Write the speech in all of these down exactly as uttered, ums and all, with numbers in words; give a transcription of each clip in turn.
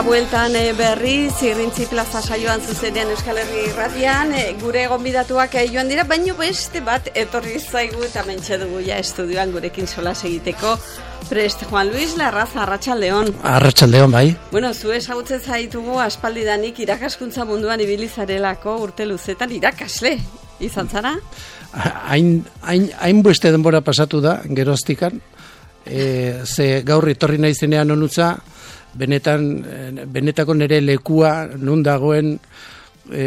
bueltan e, berri, Zirrintzi plaza saioan zuzenean Euskal Herri irratian, e, gure gonbidatuak e, joan dira, baino beste bat etorri zaigu eta mentxe dugu ja estudioan gurekin solas egiteko. Prest, Juan Luis Larraza, Arratsaldeon. Arratsaldeon, bai. Bueno, zu ezagutzen zaitugu aspaldidanik irakaskuntza munduan ibili zarelako urte luzetan irakasle izan zara? Hain, hain, hain beste denbora pasatu da, geroztikan, e, ze gaur etorri naizenean onutza, benetan, benetako nire lekua nun dagoen e,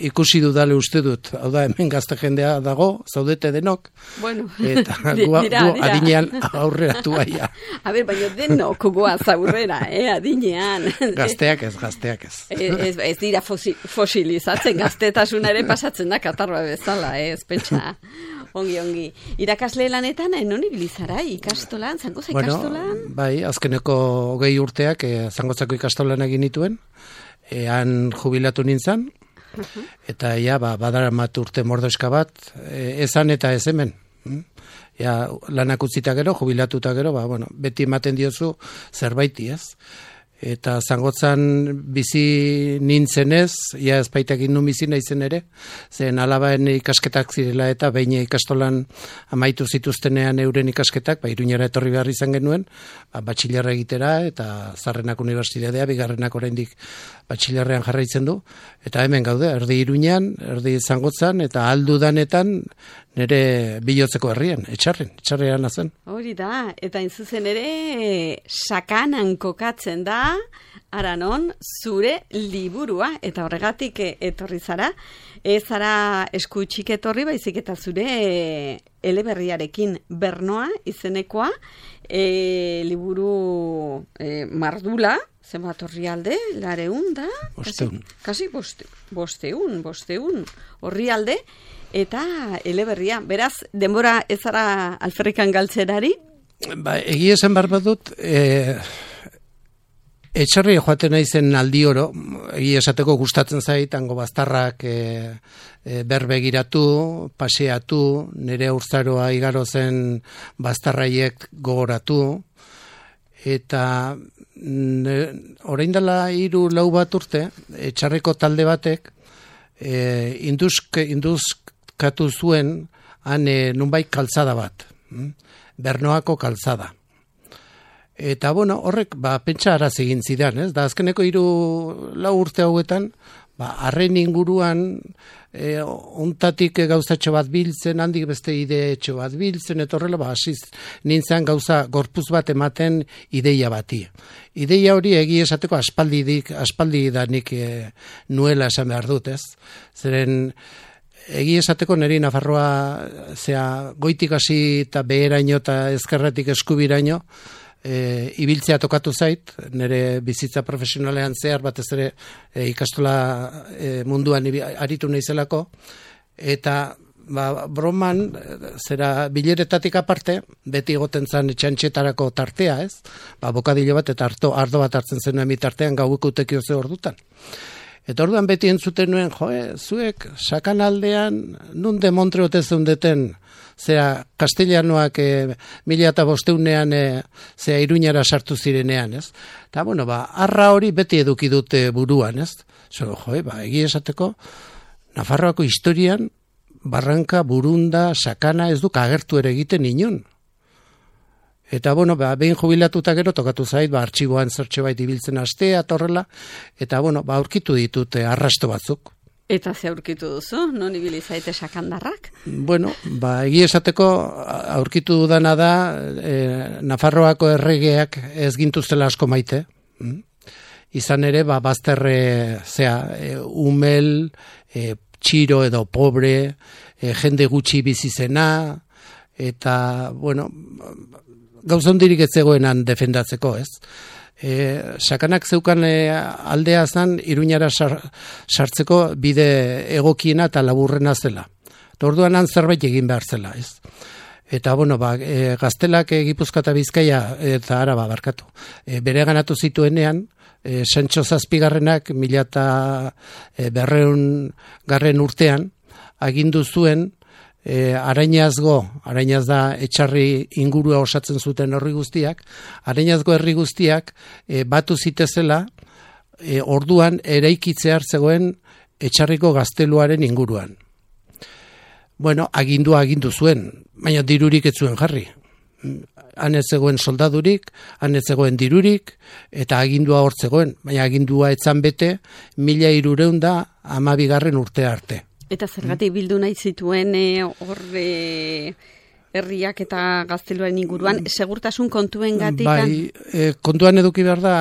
ikusi dudale uste dut. Hau da, hemen gazte jendea dago, zaudete denok, bueno, eta gua, dira, gu adinean aurreratu aia. A ber, baina denok goaz aurrera, eh, adinean. Gazteak ez, gazteak ez. Ez, ez dira fosi, fosilizatzen, gaztetasuna ere pasatzen da katarroa bezala, eh, ez pentsa. Ongi, ongi. Irakasle lanetan, non ibili zara, ikastolan, zangoza ikastolan? Bueno, bai, azkeneko hogei urteak e, zangotzako ikastolan egin nituen, e, han jubilatu nintzen, uh-huh. eta ja, ba, badara mat urte mordoska bat, e, ezan eta ez hemen. Ja, lanak utzita gero, jubilatuta gero, ba, bueno, beti ematen diozu zerbaiti, ez? Eta zangotzan bizi nintzenez, ja ezpaitak indun bizi naizen ere, zen alabaen ikasketak zirela eta behin ikastolan amaitu zituztenean euren ikasketak, ba, Iruñera etorri behar izan genuen, ba, batxilerra egitera, eta Zarrenak unibertsitatea, bigarrenak oraindik batxilerrean jarraitzen du, eta hemen gaude, erdi Iruñan, erdi zangotzan, eta aldu danetan, nire bilotzeko herrian, etxarren, etxarrean zen. Hori da, eta inzuzen ere, sakanan kokatzen da, aranon, zure liburua, eta horregatik etorri zara, ez zara eskutxik etorri, baizik eta zure eleberriarekin Bernoa izenekoa, e, liburu e, mardula, zenbat orrialde, lareun da? Bosteun. Kasi, kasi boste, bosteun, bosteun orrialde, eta eleberria. Beraz, denbora ez zara alferrikan galtzerari? Ba, egia esan behar badut, e, etxarri joaten naizen aldi oro, egia esateko gustatzen zait, hango baztarrak e, e, berbegiratu, paseatu, nire urzaroa igaro zen baztarraiek gogoratu, eta orain dela hiru lau bat urte, etxarriko talde batek, e, induzk, induzkatu zuen, han e, nunbait kaltzada bat, Bernoako kaltzada. Eta, bueno, horrek, ba, pentsa araz egin zidan, ez? Da, azkeneko hiru lau urte hauetan, ba, arren inguruan, e, ontatik gauzatxo bat biltzen, handik beste ideetxo bat biltzen, eta horrela, ba, hasiz nintzen gauza gorpuz bat ematen ideia bati. Ideia hori egi esateko aspaldidik, aspaldi da nik e, nuela esan behar dut, ez? Zeren, egi esateko niri Nafarroa, zera, goitik hasi eta beheraino eta ezkerretik eskubiraino, E, ibiltzea tokatu zait, nire bizitza profesionalean zehar batez ere e, ikastola e, munduan ibi, aritu naizelako, eta ba, broman, zera bileretatik aparte, beti egoten zan etxantxetarako tartea, ez? Ba, bokadilo bat eta arto, ardo bat hartzen zenuen bitartean gaueko utekio ze ordutan. Eta orduan beti entzuten nuen, joe, zuek sakanaldean nun demontreote zeundeten, zera castellanoak e, mila eta bosteunean e, zera Iruñara sartu zirenean, ez? Eta, bueno, ba, arra hori beti eduki dute buruan, ez? Zo, joe, ba, egia esateko, Nafarroako historian, Barranka, Burunda, Sakana ez duk agertu ere egiten inun. Eta, bueno, ba, behin jubilatuta gero tokatu zait, ba, artxiboan zertxe bait ibiltzen astea, torrela, eta, bueno, ba, aurkitu ditut e, arrasto batzuk. Eta ze aurkitu duzu? Non ibili zaite sakandarrak? Bueno, ba, egia esateko aurkitu dudana da e, Nafarroako erregeak ez gintuztela asko maite. Mm? Izan ere, ba, bazterre, zea, e, umel, e, txiro edo pobre, e, jende gutxi bizizena, eta, bueno, gauza hundirik ez zegoenan defendatzeko, ez? E, sakanak zeukan e, aldea zan Iruñara sar, sartzeko bide egokiena eta laburrena zela. Orduan han zerbait egin behar zela, ez? Eta, bueno, ba, e, Gaztelak e, Gipuzkoa eta Bizkaia eta Araba barkatu. E, bere ganatu zituenean, e, Santxo Zazpigarrenak mila eta e, berreun garren urtean, agindu zuen, E, Arainazgo, Arainaz da etxarri ingurua osatzen zuten herri guztiak, Arainazgo herri guztiak e, batu zitezela e, orduan eraikitzear zegoen Etxarriko gazteluaren inguruan. Bueno, agindua agindu zuen, baina dirurik ez zuen jarri. Han ez zegoen soldadurik, han ez zegoen dirurik, eta agindua hor zegoen, baina agindua etzan bete, mila hirureun da hamabigarren urte arte. Eta zergatik bildu nahi zituen hor e, herriak eta gazteluaren inguruan, segurtasun kontuen gatik? Bai, e, kontuan eduki behar da,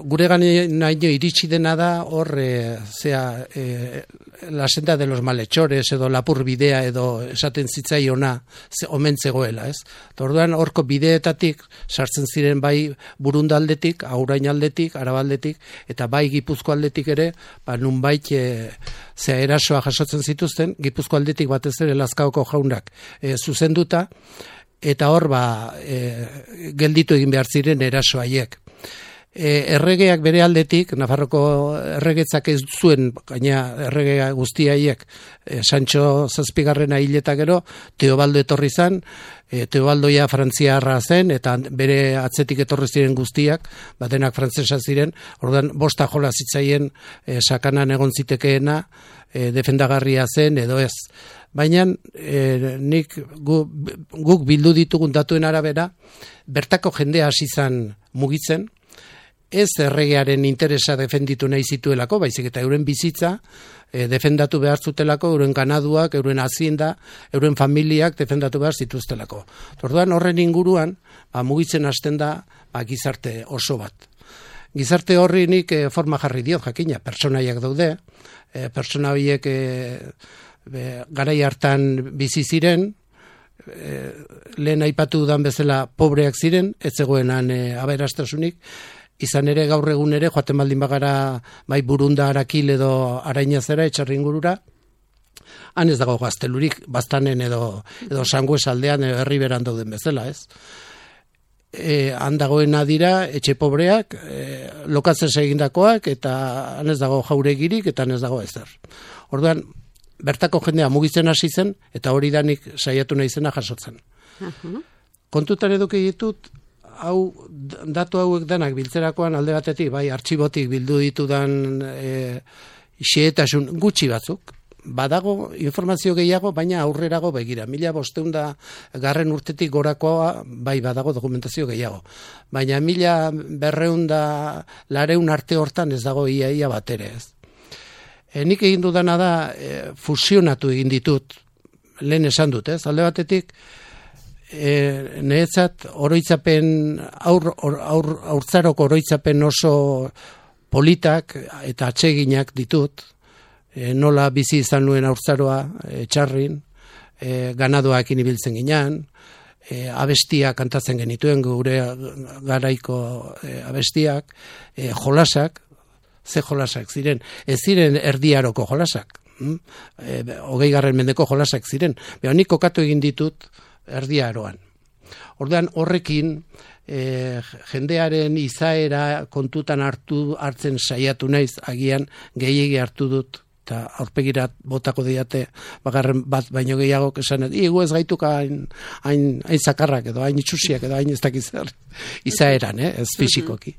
gure ganaino iritsi dena da hor, e, zea, e, la senda de los malhechores edo lapur bidea edo esaten zitzaiona ze, omen zegoela, ez? Orduan horko bideetatik sartzen ziren bai Burundaldetik, Aurain aldetik, Arabaldetik, eta bai Gipuzko aldetik ere, ba nunbait e, zea erasoa jasotzen zituzten, Gipuzko aldetik batez ere Lazkaoko jaunak e, zuzenduta, eta hor ba e, gelditu egin behar ziren eraso haiek. E, erregeak bere aldetik, Nafarroko erregetzak ez zuen, gaina erregea guztiaiek, e, Sancho zazpigarrena hileta gero, Teobaldo etorri zan, e, Teobaldoia frantziarra zen, eta bere atzetik etorri ziren guztiak, batenak frantzesa ziren, orduan bosta jola zitzaien e, sakanan egon zitekeena, e, defendagarria zen edo ez. Baina e, nik gu, guk bildu ditugun datuen arabera, bertako jendea hasi zan mugitzen, ez erregearen interesa defenditu nahi zituelako, baizik eta euren bizitza e, defendatu behar zutelako, euren ganaduak, euren hazienda, euren familiak defendatu behar zituztelako. Orduan horren inguruan, ba, mugitzen hasten da ba, gizarte oso bat. Gizarte horri nik e, forma jarri diot, jakina, pertsonaiak daude, e, pertsona horiek e, e, garai hartan bizi ziren, e, lehen aipatu dan bezala pobreak ziren, ez zegoenan e, aberastasunik, izan ere gaur egun ere, joaten baldin bagara bai Burunda, Arakil edo Arainazera, Etxarri ingurura, han ez dago gaztelurik, Baztanen edo, edo Sangues aldean edo Herriberan dauden bezala, ez? E, han dagoena dira, etxe pobreak, e, lokatzez egindakoak, eta han ez dago jauregirik, eta han ez dago ezer. Orduan, bertako jendea mugitzen hasi zen, eta hori danik saiatu nahi zena jasotzen. Uh-huh. Kontutan eduki ditut, hau, datu hauek danak biltzerakoan alde batetik, bai, artxibotik bildu ditudan e, xehetasun gutxi batzuk. Badago informazio gehiago, baina aurrerago begira. Mila bosteunda garren urtetik gorakoa, bai, badago dokumentazio gehiago. Baina mila berreunda lareun arte hortan ez dago ia ia bat ere ez. E, nik egin dudana da, e, fusionatu egin ditut, lehen esan dut ez, alde batetik, E, niretzat oroitzapen aur, aur, aur, aurtzaroko oroitzapen oso politak eta atseginak ditut, e, nola bizi izan nuen aurtzaroa e, Txarrin, e, ganadoak inibiltzen ginean, e, abestiak kantatzen genituen gure garaiko e, abestiak, e, jolasak, ze jolasak ziren, ez ziren erdiaroko jolasak, hm? e, hogei garren mendeko jolasak ziren, beha nik kokatu egin ditut erdia aroan. Orduan horrekin e, jendearen izaera kontutan hartu hartzen saiatu naiz, agian gehiegi hartu dut eta aurpegirat botako diate bagarren bat baino gehiago esan dut, igu ez gaituk hain, hain, hain zakarrak edo hain itxusiak edo hain ez dakiz zer izaeran, eh? Ez fisikoki.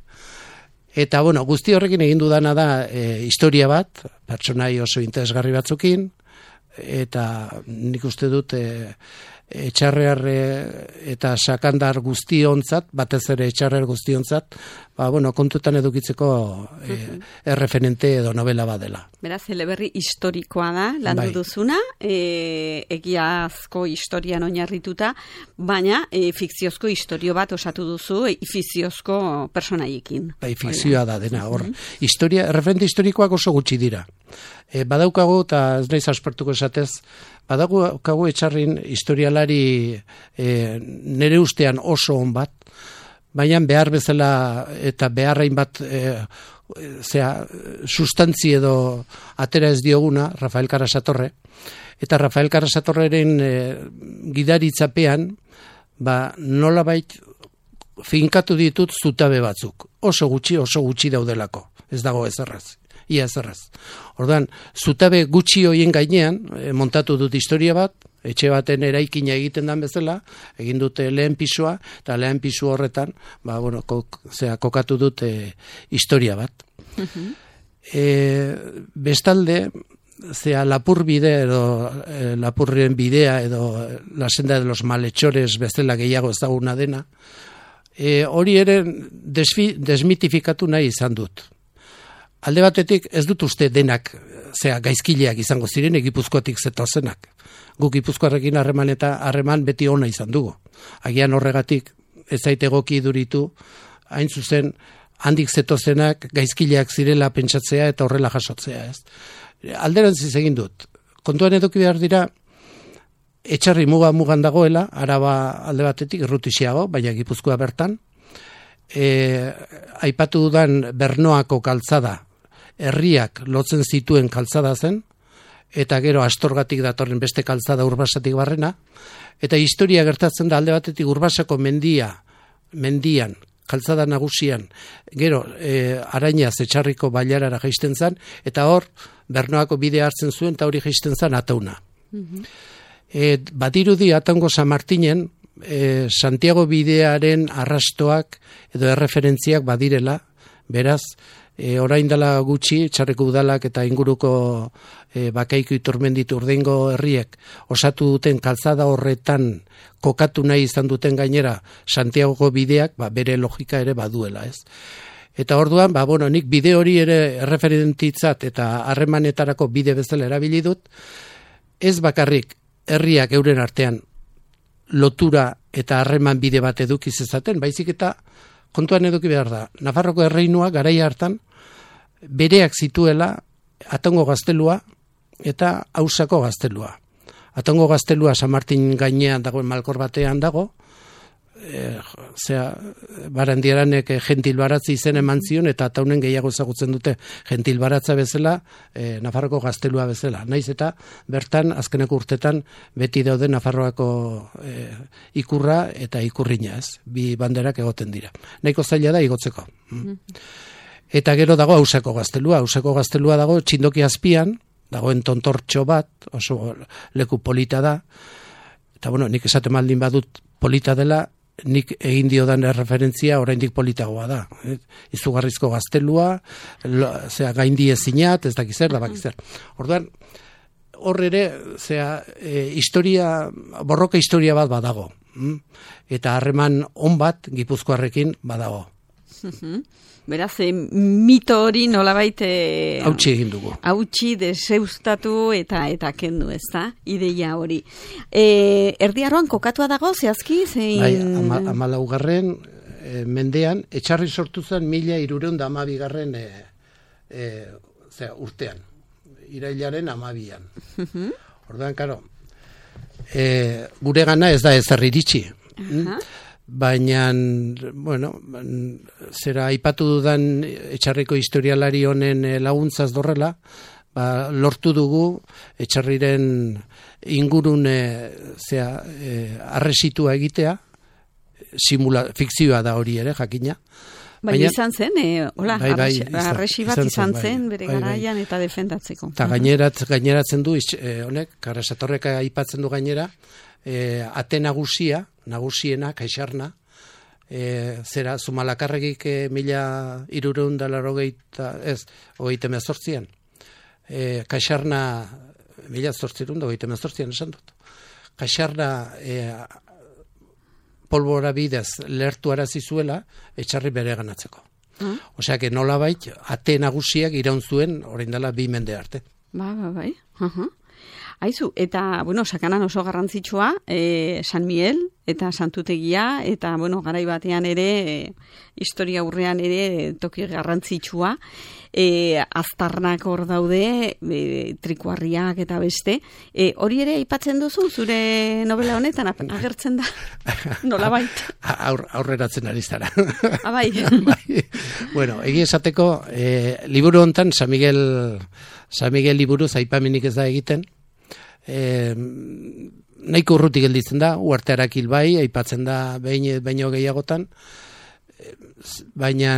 Eta bueno, guzti horrekin egin dudana da e, historia bat, pertsonai oso interesgarri batzukin, eta nik uste dut e, Etxarrear eta sakandar guztiontzat, batez ere Etxarrear guztiontzat, ba, bueno, kontutan edukitzeko e, erreferente edo novela badela. Beraz, eleberri historikoa da, landu bai. Duzuna, e, egiazko historian oinarrituta, baina e, fikziozko historio bat osatu duzu, e, fikziozko personaiekin. Bai, fikzioa da dena, hor. Historia, erreferente historikoak oso gutxi dira. E, badaukagu, eta ez naiz aspertuko esatez, badaukagu Etxarrin historialari e, nere ustean oso on bat, baina behar bezala eta beharrain bat e, zera, sustantzi edo atera ez dioguna, Rafael Karasatorre, eta Rafael Karasatorreren e, gidaritzapean, ba, nolabait finkatu ditut zutabe batzuk. Oso gutxi, oso gutxi daudelako. Ez dago ezerraz. Ia ezerraz. Orduan, zutabe gutxi hoien gainean, e, montatu dut historia bat, etxe baten eraikina egiten dan bezala, egin dute lehen pisua, eta lehen pisu horretan, ba, bueno, kok, zera, kokatu dut e, historia bat. E, bestalde, zea lapur bide edo e, lapurren bidea edo la senda de los malhechores bezala gehiago ezaguna dena, e, hori ere desfi, desmitifikatu nahi izan dut. Alde batetik ez dut uste denak zea gaizkileak izango ziren Gipuzkoatik zetozenak. Guk Gipuzkoarrekin harreman eta harreman beti ona izan dugu. Agian horregatik ez zait egoki duritu hain zuzen handik zetozenak gaizkileak zirela pentsatzea eta horrela jasotzea, ez. Alderantziz egin dut. Kontuan eduki behar dira Etxarri muga mugan dagoela, Araba alde batetik errutixiago, baina Gipuzkoa bertan. E, aipatu dudan Bernoako kaltzada, herriak lotzen zituen kaltzada zen, eta gero Astorgatik datorren beste kaltzada Urbasatik barrena, eta historia gertatzen da alde batetik Urbasako mendia, mendian, kaltzada nagusian, gero e, Arainaz Etxarriko bailarara jaisten zen, eta hor Bernoako bidea hartzen zuen, eta hori jaisten zen Atauna. Mm-hmm. E, badirudi Ataungo San Martinen, e, Santiago bidearen arrastoak edo erreferentziak badirela, beraz, E, orain dela gutxi, Etxarriko udalak eta inguruko e, Bakaiko Iturmendit Urdingo herriek osatu duten kalzada horretan kokatu nahi izan duten gainera Santiago bideak, ba, bere logika ere baduela, ez? Eta orduan, ba, bueno, nik bide hori ere erreferentitzat eta harremanetarako bide bezala erabili dut, ez bakarrik herriak euren artean lotura eta harreman bide bat eduki zezaten, baizik eta kontuan eduki behar da, Nafarroko erreinua garaia hartan bereak zituela Ataungo gaztelua eta Ausako gaztelua. Ataungo gaztelua San Martin gainean dagoen malkor batean dago, e, zera, Barandiaranek gentil baratzi izen eman zion eta Ataunen gehiago ezagutzen dute gentil baratza bezala, e, Nafarroko gaztelua bezala. Naiz eta bertan azkeneko urtetan beti daude Nafarroako e, ikurra eta ikurrina, ez? Bi banderak egoten dira. Nahiko zaila da igotzeko. Mm. Eta gero dago Ausako gaztelua. Ausako gaztelua dago Txindoki azpian, dagoen tontortxo bat, oso leku polita da. Eta bueno, nik esaten maldin badut polita dela, nik egin diodan referentzia oraindik politagoa da. Eh? Izugarrizko gaztelua, lo, zera, gaindi ezinat, ez dakiz zer, da bakiz zer. Orduan, hor ere, zera, e, historia, borroka historia bat badago. Mm? Eta harreman on bat Gipuzkoarrekin badago. Beraz, e, mito hori nolabait hautsi egin dugu. Hautsi deseustatu eta eta kendu, ez da? Ideia hori. E, Erdiaroan kokatua dago, zehazki? Zein... Bai, ama, amalaugarren e, mendean, Etxarri sortu zen mila hirureun da hamabigarren e, e, urtean. Irailaren hamabian. Orduan, karo, e, gure gana ez da ezer iritsi. Uh-huh. Baina, bueno, zera aipatu dudan Etxarriko historialari honen laguntzaz dorrela, ba, lortu dugu Etxarriren ingurune zera, e, arresitua egitea, simula, fikzioa da hori ere, jakina. Bai, baina, izan zen, e, hola, bai, bai, arresi bat izan, izan zen, zen bere bai, garaian bai. Eta defendatzeko. Eta gainerat, gaineratzen du, e, honek, Karasatorreka aipatzen du gainera, e, ate nagusia, nagusiena, Kaixarna, e, zera, Zumalakarregik e, mila hirureun da larogeita, ez, hogeita mezortzian. E, Kaixarna, mila zortzirun da hogeita mezortzian esan dut. Kaixarna e, polbora bidez lertu arazi zuela Etxarri bere ganatzeko. Mm. Osea, que nolabait, ate nagusiak iraun zuen orain dela bi mende arte. Ba, ba, bai. Uh-huh. Aizu, eta, bueno, Sakanan oso garrantzitsua, e, San Miguel eta Santutegia, eta, bueno, garai batean ere, e, historia aurrean ere toki garrantzitsua, e, aztarnak hor daude, e, trikuarriak eta beste. E, hori ere aipatzen duzu, zure novela honetan agertzen da, nolabait? Aur, aurreratzen ari zara. Abai. Bai. Bueno, egi esateko, e, liburu hontan, San Miguel, San Miguel liburuz aipamenik ez da egiten, E, nahiko urruti gelditzen da, Uarte Arakil bai, aipatzen da behin baino gehiagotan, baina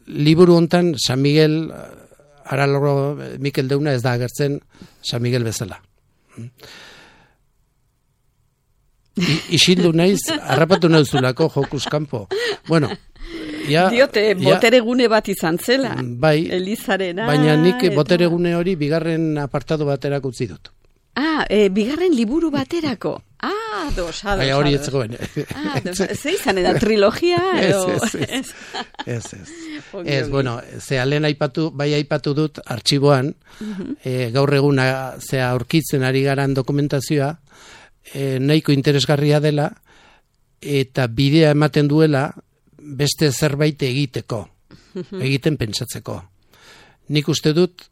liburu hontan San Miguel, Araloro Mikel Deuna ez da agertzen San Miguel bezala. I, isildu naiz, harrapatu nauzulako jokuz kanpo. Bueno, ja, diote, boteregune bat izan zela. Bai, Elizarena. baina nik eta... boteregune hori bigarren apartado baterak utzi dut. Ah, e, bigarren liburu baterako. Ah, dos, ados. Baina hori etzegoen. Ah, dos, ze izan eda trilogia? Edo... Ez, ez, ez. Ez, ez. Ez, bueno, ze alen aipatu, bai aipatu dut artxiboan, uh-huh. e, gaur eguna zea aurkitzen ari garan dokumentazioa, e, nahiko interesgarria dela, eta bidea ematen duela beste zerbait egiteko, uh-huh. egiten pentsatzeko. Nik uste dut,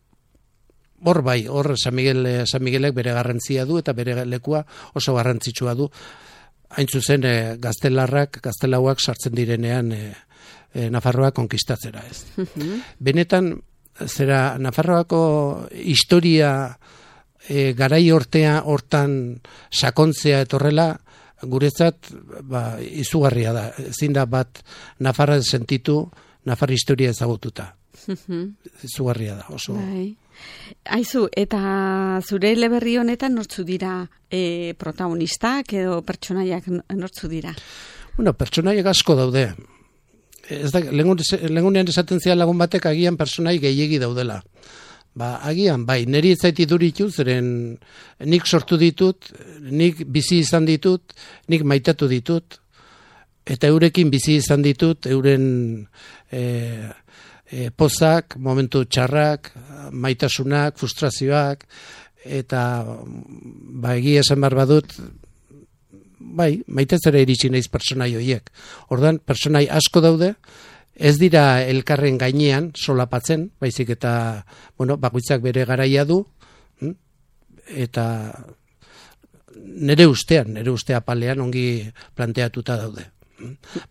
hor bai, hor San Miguel, San Miguelek bere garrantzia du eta bere lekua oso garrantzitsua du. Hain zuzen e, gaztelarrak, gaztelauak sartzen direnean e, e, Nafarroa konkistatzera ez. Uh-huh. Benetan, zera Nafarroako historia e, garai hortea hortan sakontzea etorrela, guretzat ba, izugarria da. Ezin da bat Nafarra sentitu, Nafar historia ezagututa. Uh-huh. Izugarria da, oso... Bai. Aizu, eta zure eleberri honetan nortzu dira e, protagonistak edo pertsonaiak nortzu dira? Bueno, pertsonaiak asko daude. Ez da, lehengunean esaten zian lagun batek agian pertsonai gehiegi daudela. Ba, agian, bai, niri ez zaiti duritu, zeren nik sortu ditut, nik bizi izan ditut, nik maitatu ditut, eta eurekin bizi izan ditut, euren... E, E, pozak, momentu txarrak, maitasunak, frustrazioak, eta ba, egia esan behar badut, bai, maitetzera iritsi naiz pertsonai horiek. Orduan, pertsonai asko daude, ez dira elkarren gainean solapatzen, baizik eta, bueno, bakoitzak bere garaia du, eta nire ustean, nire ustea palean ongi planteatuta daude.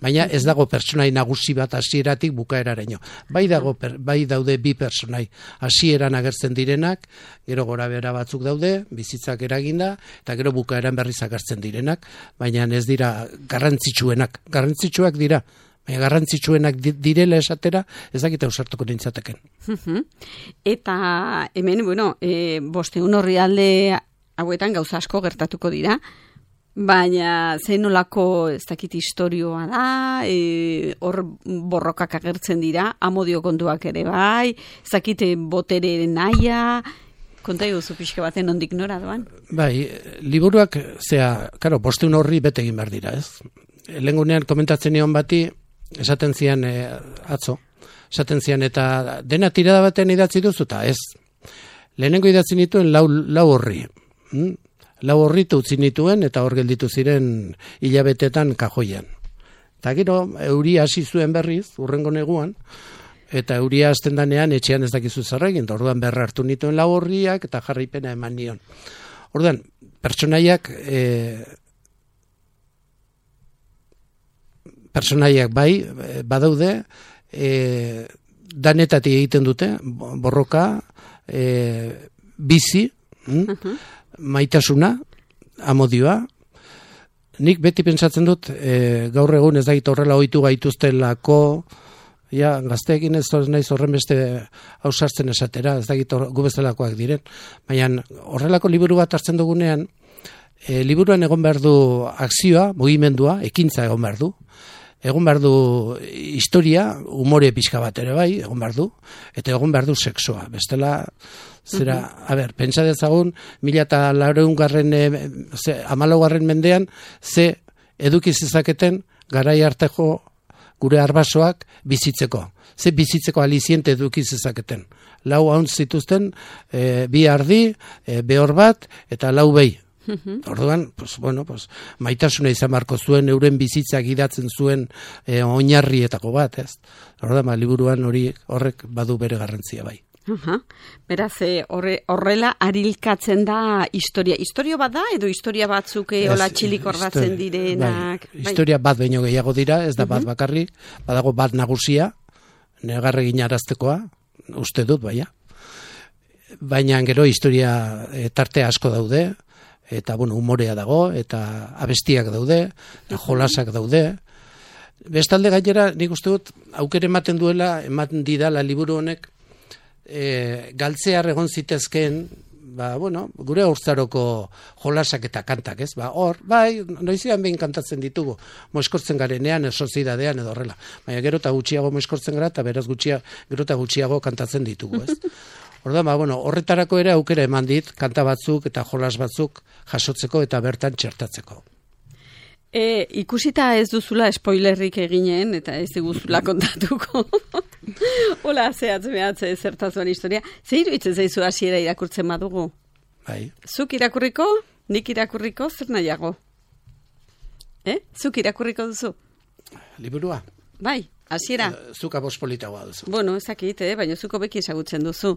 Baina ez dago pertsonai nagusi bat hasieratik bukaeraraino. Bai dago per, bai daude bi pertsonai hasieran agertzen direnak, gero gora behera batzuk daude, bizitzak eraginda, eta gero bukaeran berriz agertzen direnak, baina ez dira garrantzitsuenak. Garrantzitsuak dira, baina garrantzitsuenak direla esatera, ez dakita ausartuko nintzateken. Eta hemen, bueno, e, bosteun horri alde hauetan gauza asko gertatuko dira, baina zein nolako ez dakit historioa da, e, hor borrokak agertzen dira, amodio kontuak ere bai, ez dakit botere naia, konta iguzu pixka baten ondik nora doan? Bai, liburuak, zera, karo, bosteun horri bete egin behar dira, ez? Lehengunean komentatzen nion bati, esaten zian e, atzo, esaten zian eta dena tirada batean idatzi duzu, eta ez. Lehenengo idatzi nituen lau, lau horri, hm? Lau horritu utzi nituen eta hor gelditu ziren hilabetetan kajoian. Eta gero, euria hasi zuen berriz, urrengo neguan, eta euria hasten danean etxean ez dakizu zerregin, orduan berra hartu nituen lau horriak eta jarraipena eman nion. Orduan, pertsonaiak, e, pertsonaiak bai, badaude, e, danetatik egiten dute, borroka, e, bizi, hm? Maitasuna, amodioa. Nik beti pentsatzen dut, e, gaur egun ez dakit horrela ohitu gaituztelako, ja, gazteekin ez naiz horren beste ausartzen esatera, ez dakit gu bezalakoak diren. Baina horrelako liburu bat hartzen dugunean, e, liburuan egon behar du akzioa, mugimendua, ekintza egon behar du. Egon behar du historia, umore pixka bat ere bai, egon behar du, eta egon behar du sexoa. Bestela, zera, uh-huh. a ber, pentsa dezagun, mila eta laureun garren, amalau garren mendean, ze eduki zezaketen garai arteko gure arbasoak bizitzeko. Ze bizitzeko aliziente eduki zezaketen. Lau hauntz zituzten, e, bi ardi, e, behor bat, eta lau behi. Orduan, pues, bueno, pues, maitasuna izan marko zuen, euren bizitzak idatzen zuen e, oinarrietako bat, ez? Orduan, ba, liburuan hori horrek badu bere garrantzia bai. Uh-huh. Beraz, horre, horrela arilkatzen da historia. Historia bat da, edo historia batzuk hola txilik ordatzen direnak? Bai, historia bat baino gehiago dira, ez da bat uh-huh. bakarrik, badago bat nagusia, negarregin araztekoa, uste dut, baina. Baina gero historia e, tarte asko daude, eta bueno, umorea dago, eta abestiak daude, eta jolasak daude. Bestalde gainera, nik uste dut, aukere ematen duela, ematen didala liburu honek, e, galtzear egon zitezkeen, ba, bueno, gure urzaroko jolasak eta kantak, ez? Ba, hor, bai, noizian behin kantatzen ditugu, moeskortzen garenean, esozidadean edo horrela. Baina gero eta gutxiago moeskortzen gara, eta beraz gutxia, gero eta gutxiago kantatzen ditugu, ez? Orda, ba, bueno, horretarako ere aukera eman dit, kanta batzuk eta jolas batzuk jasotzeko eta bertan txertatzeko. E, ikusita ez duzula spoilerrik eginen, eta ez diguzula kontatuko. Hola, zehatz mehatze zertazuan historia. Ze iruditzen zaizu hasiera irakurtzen badugu? Bai. Zuk irakurriko, nik irakurriko, zer nahiago? Eh? Zuk irakurriko duzu? Liburua? Bai. Hasiera. Zuka bospolitagoa duzu. Bueno, ezakit, eh? Baina zuko beki ezagutzen duzu.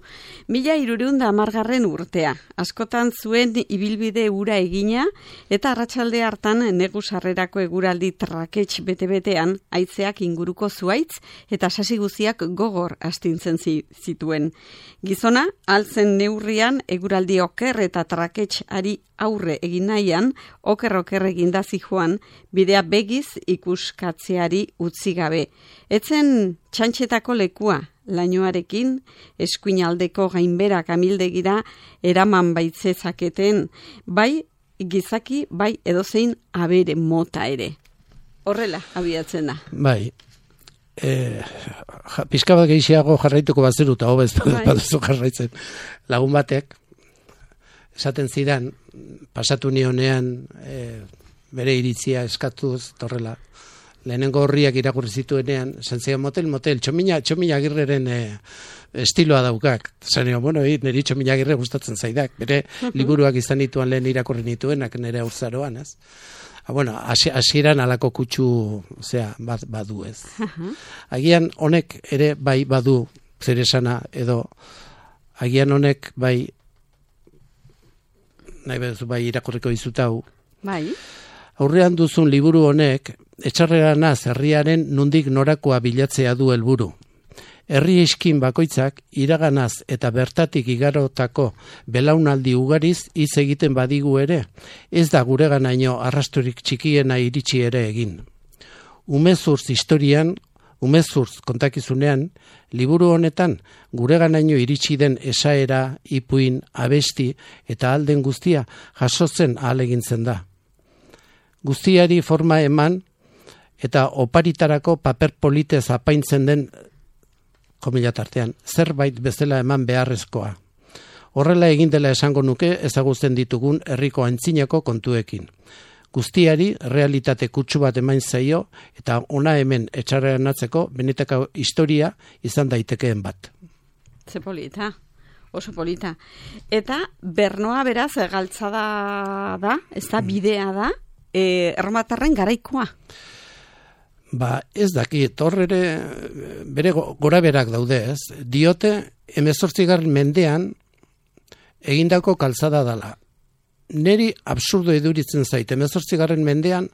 Mila hirureunda hamargarren urtea. Askotan zuen ibilbide ura egina, eta arratsalde hartan negu sarrerako eguraldi trakets bete-betean, haitzeak inguruko zuaitz, eta sasi guziak gogor astintzen zituen. Gizona, altzen neurrian, eguraldi oker eta trakets ari aurre egin nahian, oker-oker eginda zijoan, bidea begiz ikuskatzeari utzi gabe. Etzen txantxetako lekua, lainoarekin, eskuinaldeko gainberak amildegira eraman baitzezaketen, bai gizaki, bai edozein abere mota ere. Horrela, abiatzen da. Bai. Eh, ja, pizka bat gehiago jarraituko bazeru, eta hobez baduzu jarraitzen. Lagun batek, esaten zidan, pasatu nionean e, bere iritzia eskatuz, torrela, lehenengo horriak irakurri zituenean, zentzian motel, motel, txomina, txomina agirreren e, estiloa daukak. Zanio, bueno, hi, niri txomina agirre gustatzen zaidak, bere liburuak izan dituan lehen irakurri nituenak nire aurzaroan, ez? Ha, bueno, hasieran alako kutsu, zera, bad, badu ez. Agian honek ere bai badu zer esana, edo agian honek bai nahi bezu bai irakurriko dizutau. Bai. Aurrean duzun liburu honek, etxarreranaz herriaren nundik norakoa bilatzea du helburu. Herri eskin bakoitzak iraganaz eta bertatik igarotako belaunaldi ugariz hitz egiten badigu ere, ez da gureganaino arrasturik txikiena iritsi ere egin. Umezurtz historian, umezurtz kontakizunean, liburu honetan gureganaino iritsi den esaera, ipuin, abesti eta alden guztia jasotzen ahalegintzen da. Guztiari forma eman eta oparitarako paper politez apaintzen den komila tartean, zerbait bezala eman beharrezkoa. Horrela egin dela esango nuke ezagutzen ditugun herriko antzinako kontuekin. Guztiari realitate kutsu bat emain zaio eta ona hemen etxarreanatzeko benetako historia izan daitekeen bat. Ze polita, oso polita. Eta Bernoa beraz galtzada da, ez da bidea da, e, erromatarren garaikoa. Ba, ez dakit, hor ere bere gora berak daude, ez? Diote, hemezortzigarren mendean egindako kalzada dala. Neri absurdo eduritzen zait, hemezortzigarren mendean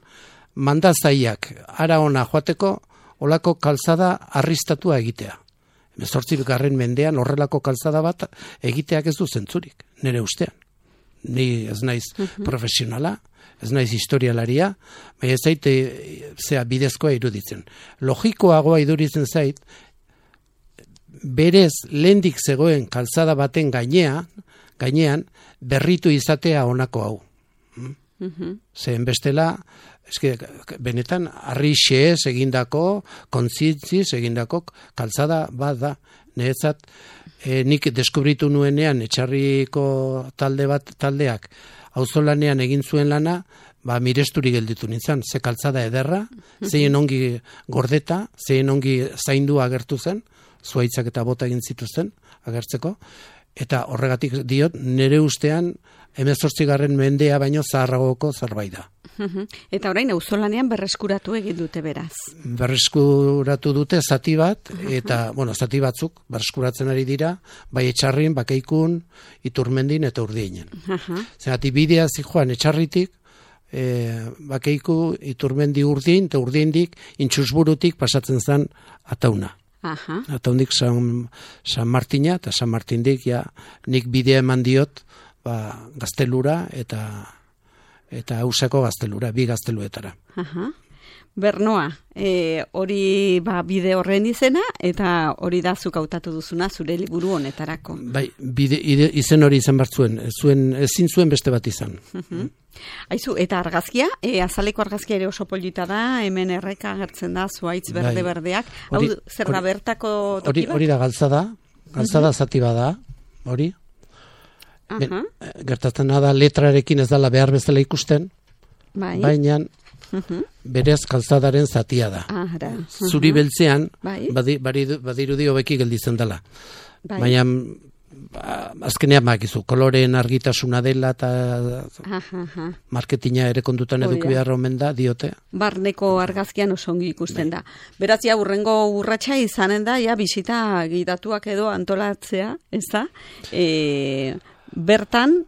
mandazaiak ara ona joateko olako kalzada arristatua egitea. Hemezortzigarren mendean horrelako kalzada bat egiteak ez du zentzurik, nire ustean. Ni ez naiz uh-huh. profesionala, ez naiz historialaria, baina ez zait zea bidezkoa iruditzen. Logikoagoa iduritzen zait, berez lehendik zegoen kalzada baten gainean, gainean berritu izatea honako hau. Uh-huh. Zehen bestela, eske, benetan harri xeez egindako, kontzientziz egindako kalzada bat da. Niretzat, e, nik deskubritu nuenean etxarriko talde bat taldeak auzolanean egin zuen lana, ba miresturi gelditu nintzen, ze kaltzada ederra, zein ongi gordeta, zein ongi zaindu agertu zen, zuaitzak eta bota egin zituzten agertzeko, eta horregatik diot, nire ustean hemezortzigarren mendea baino zaharragoko zerbait da. Eta orain auzolanean berreskuratu egin dute beraz. Berreskuratu dute zati bat, eta, bueno, zati batzuk berreskuratzen ari dira, bai etxarrin, bakeikun, iturmendin eta urdienen. Zergatik bidea zijoan etxarritik, e, bakeiku, iturmendi urdin, eta urdiendik, intxusburutik pasatzen zen atauna. Aha. Ataundik San, San Martina, eta San Martindik, ja, nik bidea eman diot, ba, gaztelura, eta eta Ausako gaztelura, bi gazteluetara. Aha. Bernoa, e, hori ba, bide horren izena, eta hori da zuk hautatu duzuna zure liburu honetarako. Bai, bide, ide, izen hori izan bartzuen, zuen, ezin zuen beste bat izan. Uh-huh. Aizu, eta argazkia, e, azaleko argazkia ere oso polita da, hemen erreka agertzen da, zuaitz berde-berdeak. Hau, hori, zer da bertako toki hori, bat? Hori da galtzada, galtzada uh-huh. zati bada, hori. Uh-huh. Ben, gertatzen da letrarekin ez dela behar bezala ikusten, bai. Baina uh-huh. berez kalzadaren zatia da. Ahara. Uh-huh. Zuri beltzean, bai. badi, badirudi hobeki gelditzen dela. Bai. Baina ba, azkenean makizu, koloreen argitasuna dela eta uh-huh. marketina ere kondutan eduki behar omen da, diote. Barneko argazkian oso ongi ikusten bai. Da. Beraz, ja, urrengo urratsa izanen da, ja, bisita gidatuak edo antolatzea, ez da? E, bertan,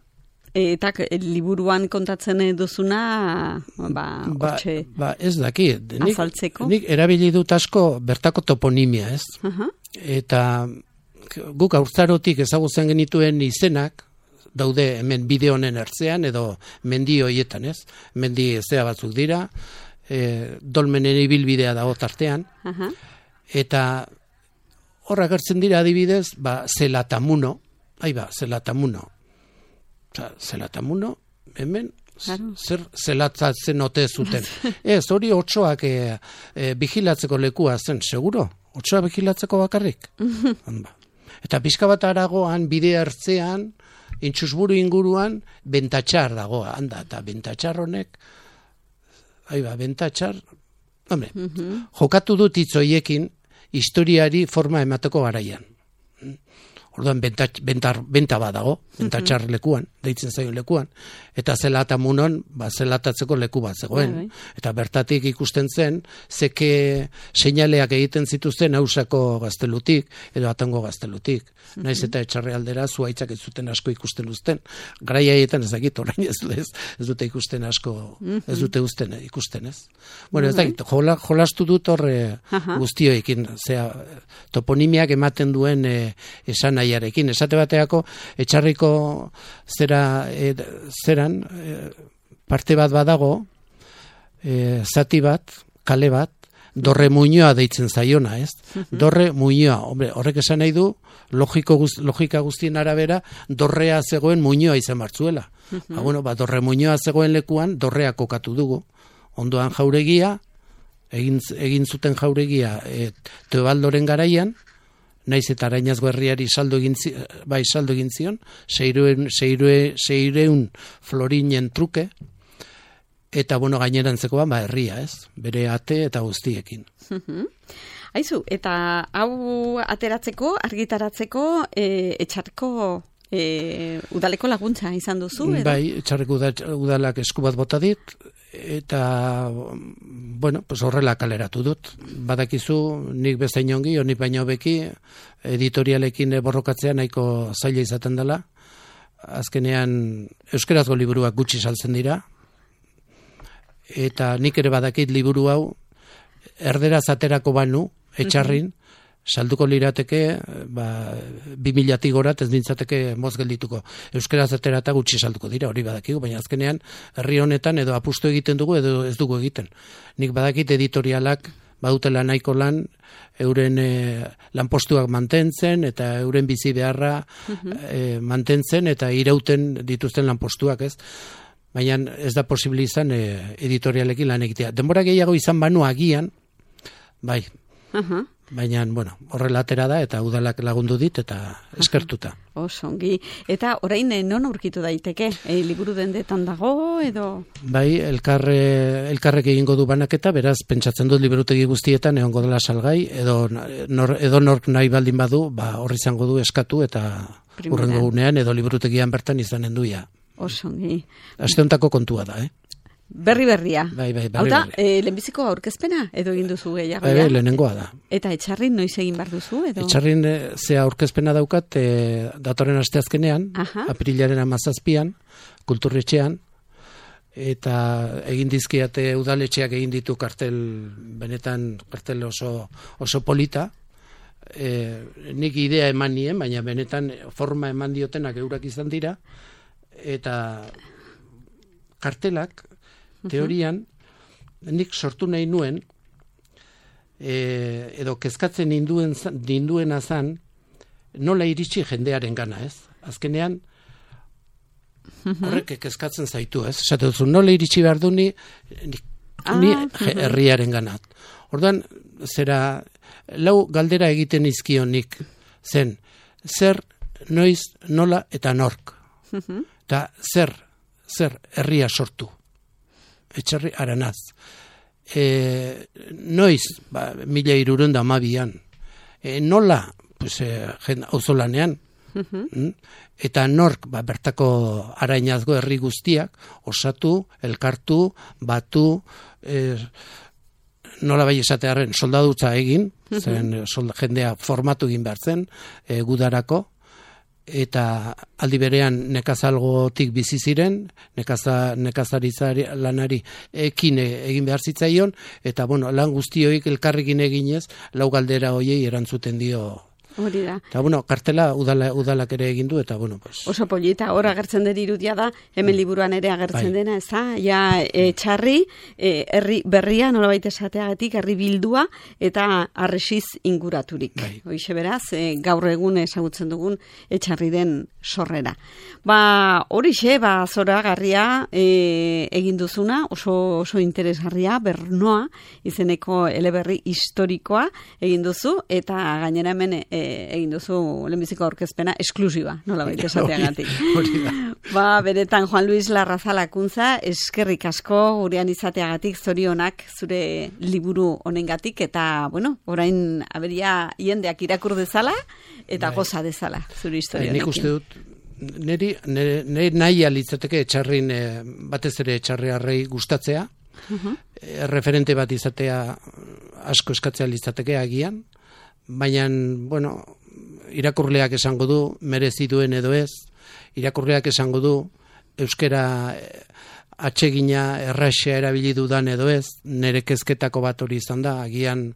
eta liburuan kontatzen duzuna, ba, hortxe ba, ba, ez daki, nik, azaltzeko. Nik erabili dut asko bertako toponimia, ez? Uh-huh. Eta guk haurtzarotik ezagutzen genituen izenak, daude hemen bide honen ertzean, edo mendi hoietan, ez? Mendi zea batzuk dira, e, dolmenen ibilbidea dago tartean, uh-huh. eta horra gertzen dira adibidez, ba, zelatamuno, ai ba, zelatamuno, zelatamuno, hemen, claro. Zer zelatzatzen ote zuten. Ez, hori otsoak e, e, bigilatzeko lekua zen, seguro? Otsoa bigilatzeko bakarrik? Eta pixka bat aragoan, bide hartzean, intxusburu inguruan, bentatxar dagoa, handa, eta bentatxar honek, aiba, bentatxar, hombre, uh-huh. jokatu dut hitzoiekin, historiari forma emateko garaian. Orduan, bentar, benta badago, bentatxar lekuan, deitzen zaion lekuan, eta zelatamunon, ba, zelatatzeko leku bat zegoen. Bai, bai. Eta bertatik ikusten zen, zeke seinaleak egiten zituzten hausako gaztelutik, edo atango gaztelutik. Uh-huh. Naiz eta etxarre aldera, zuaitzak ez zuten asko ikusten uzten. Garai haietan ez dakit, orain ez, ez, ez dute ikusten asko, uh-huh. ez dute uzten, ikusten ez. Bueno, ez dakit, jola, jolastu dut horre uh-huh. guztioekin, zera, toponimiak ematen duen e, esan nahiarekin. Esate bateako, etxarriko zera, e, zeran, e, parte bat badago, e, zati bat, kale bat, Dorre Muñoa deitzen zaiona, ez? Uh-huh. Dorre Muñoa, hombre, horrek esan nahi du, logiko guz, logika guztien arabera, dorrea zegoen Muñoa izan martzuela. Uh-huh. Ba, bueno, ba, Dorre Muñoa zegoen lekuan, dorrea kokatu dugu. Ondoan jauregia, egin, egin zuten jauregia, e, Teobaldoren garaian, naiz eta Arainazgo herriari saldo egin, bai, saldo egin zion, seireun, seire, seireun florinen truke, eta, bueno, gainerantzeko ba, herria, ez? Bere ate eta guztiekin. Uh-huh. Aizu, eta hau ateratzeko, argitaratzeko, e, etxarko e, udaleko laguntza izan duzu, edo? Bai, etxarreko udalak esku bat bota dit, eta, bueno, pues horrela kaleratu dut. Badakizu, nik bezain ongi, nik baino beki, editorialekin borrokatzea nahiko zaila izaten dela. Azkenean, euskerazko liburuak gutxi saltzen dira, eta nik ere badakit liburu hau erderaz aterako banu, etxarrin, salduko lirateke, ba, bi milatik gorat ez nintzateke moz geldituko. Euskeraz aterata gutxi salduko dira, hori badakigu, baina azkenean herri honetan edo apustu egiten dugu edo ez dugu egiten. Nik badakit editorialak badutela nahiko lan, euren e, lanpostuak mantentzen eta euren bizi beharra uh-huh. e, mantentzen eta irauten dituzten lanpostuak, ez? Baina ez da posible izan e, editorialekin lan egitea. Denbora gehiago izan banu agian, bai, uh-huh. baina, bueno, horrela atera da eta udalak lagundu dit eta eskertuta. Uh-huh. Osongi. Eta orain non aurkitu daiteke? E, liburu dendetan dago edo? Bai, elkarre, elkarrek egingo du banaketa, beraz, pentsatzen dut liburutegi guztietan egongo dela salgai, edo nor, edo nork nahi baldin badu, ba, horri izango du eskatu eta urrengo gunean edo liburutegian bertan izanen duia. Osongi. Aste hontako kontua da, eh? Berri berria. Bai, bai, berri Hauta, berria. E, lehenbiziko aurkezpena edo egin duzu gehiago? Bai, bai, lehenengoa da. Eta etxarrin noiz egin behar duzu? Edo? Etxarrin e, zea aurkezpena daukat e, datorren asteazkenean, aprilaren hamazazpian, kulturretxean, eta egin dizkiate udaletxeak egin ditu kartel, benetan kartel oso, oso polita, e, nik idea eman nien, baina benetan forma eman diotenak eurak izan dira, eta kartelak teorian nik sortu nahi nuen, e, edo kezkatzen ninduen, ninduena zan, nola iritsi jendearen gana, ez? Azkenean, horrek kezkatzen zaitu, ez? Esate duzu, nola iritsi behar du ni, ni, ni herriaren ganat. Orduan, zera, lau galdera egiten izkionik zen, zer, noiz, nola eta nork. Eta zer, zer herria sortu. Etxarri aranaz. E, noiz, ba, mila irurenda amabian. E, nola, pues, e, jen, auzolanean. Mm? Eta nork, ba, bertako arainazgo herri guztiak, osatu, elkartu, batu, e, nola bai esatearen soldadutza egin, zen solda, jendea formatu egin behar zen, e, gudarako, eta aldi berean nekazalgotik bizi ziren, nekaza, nekazarizari lanari ekin egin behar zitzaion, eta bueno, lan guztioik elkarrekin eginez, lau galdera hoiei erantzuten dio. Hori da. Eta, bueno, kartela udala, udalak ere egin du, eta, bueno, pues... Oso polita, hor agertzen den irudia da, hemen liburuan ere agertzen bai. Dena, ez da? Ja, e, txarri, e, herri berria, nolabait esateagatik, herri bildua, eta arresiz inguraturik. Bai. Hoixe beraz, e, gaur egun ezagutzen dugun etxarri den sorrera. Ba, horixe, ba, zora garria e, egin duzuna, oso, oso interesgarria, Bernoa, izeneko eleberri historikoa egin duzu, eta gainera hemen e, egin duzu lehenbiziko aurkezpena esklusiba, nola baita esateagatik. Ba, beretan Juan Luis Larrazalakuntza, eskerrik asko gurean izateagatik, zorionak zure liburu honengatik, eta, bueno, orain aberia jendeak irakur dezala, eta bai. Goza dezala zure historia honekin. Nik uste dut, niri, niri nahi alitzateke etxarrin, batez ere etxarriarrei gustatzea, uh-huh. referente bat izatea asko eskatzea litzateke agian, baina, bueno, irakurleak esango du, merezi duen edo ez, irakurleak esango du, euskera atsegina erraxea erabili dudan edo ez, nire kezketako bat hori izan da, agian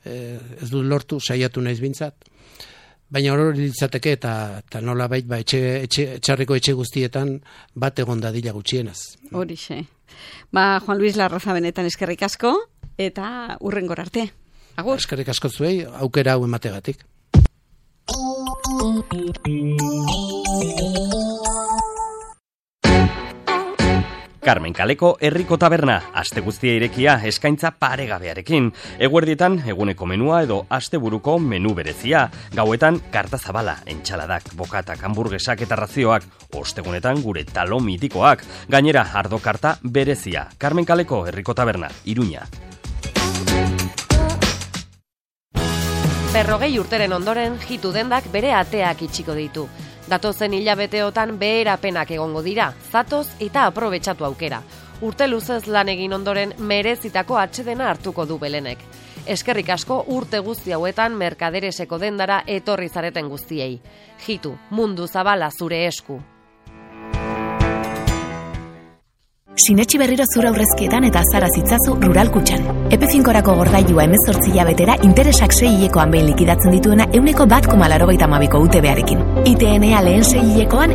eh, ez dut lortu, saiatu naiz bintzat, baina hori litzateke eta, eta nola bait, ba, etxe, etxe, etxarriko etxe guztietan bat egon dadila gutxienez. Horixe. Ba, Juan Luis Larraza benetan eskerrik asko, eta hurrengor arte. Agur. Eskerrik asko zuei, aukera hau emategatik. Carmen Kaleko herriko taberna, aste guztia irekia eskaintza paregabearekin. Eguerdietan eguneko menua edo asteburuko menu berezia. Gauetan karta zabala, entxaladak, bokatak, hamburguesak eta razioak. Ostegunetan gure talo mitikoak. Gainera ardo karta berezia. Carmen Kaleko herriko taberna, Iruña. Berrogei urteren ondoren, jitu dendak bere ateak itxiko ditu. Datozen hilabeteotan beherapenak egongo dira, zatoz eta aprobetxatu aukera. Urte luzez lan egin ondoren merezitako atsedena hartuko du Belenek. Eskerrik asko urte guzti hauetan merkadereseko dendara etorri zareten guztiei. Jitu, mundu zabala zure esku. Sinetxi berriro zura aurrezkietan eta azara zitzazu Rural Kutxan. Epe finkorako gordailua hemezortzi hilabetera interesak sei hilekoan behin likidatzen dituena euneko bat koma laurogeita hamabiko U T B-arekin. I T N A lehen sei hilekoan